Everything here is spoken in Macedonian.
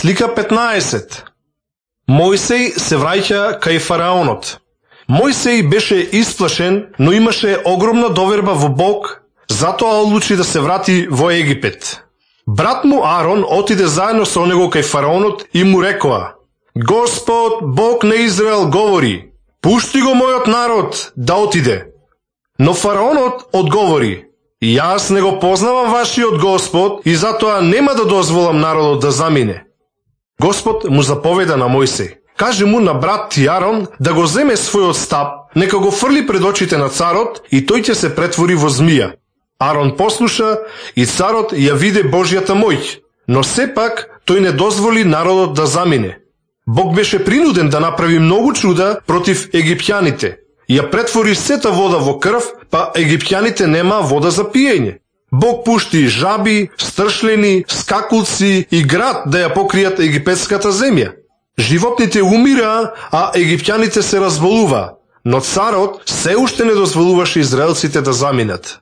Слика 15. Мојсей се враќа кај фараонот. Мојсей беше исплашен, но имаше огромна доверба во Бог, затоа одлучи да се врати во Египет. Брат му Арон отиде заедно со него кај фараонот и му рекоа: Господ, Бог на Израел, говори: пушти го мојот народ да отиде. Но фараонот одговори: Јас не го познавам вашиот Господ и затоа нема да дозволам народот да замине. Господ му заповеда на Мојсей: Каже му на брат ти Арон да го земе својот стап, нека го фрли пред очите на царот и тој ќе се претвори во змија. Арон послуша и царот ја виде Божјата моќ, но сепак тој не дозволи народот да замине. Бог беше принуден да направи многу чуда против египтјаните. Ја претвори сета вода во крв, па египтјаните нема вода за пиење. Бог пушти жаби, стршлени, скакулци и град да ја покријат египетската земја. Животните умираа, а египтјаните се разболуваа, но царот се уште не дозволуваше израелците да заминат.